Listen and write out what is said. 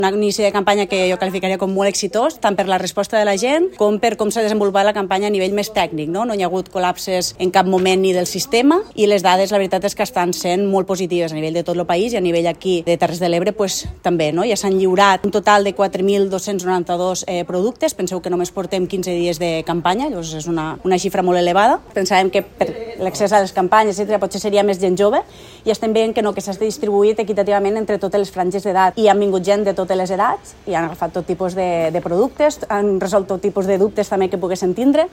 Un inici de campanya que jo qualificaria com molt exitós, tant per la resposta de la gent com per com s'ha desenvolupat la campanya a nivell més tècnic. No hi ha hagut col·lapses en cap moment ni del sistema i les dades, la veritat és que estan sent molt positives a nivell de tot el país i a nivell aquí de Terres de l'Ebre també. Ja s'han lliurat un total de 4.292 productes. Penseu que només portem 15 dies de campanya, llavors és una xifra molt elevada. Pensàvem que per l'accés a les campanyes, etcètera, potser seria més gent jove i estem veient que no, que s'ha distribuït equitativament entre totes les franges d'edat i han vingut gent de totes les edats i han agafat tot tipus de productes, han resolt tot tipus de dubtes també que poguessin tindre.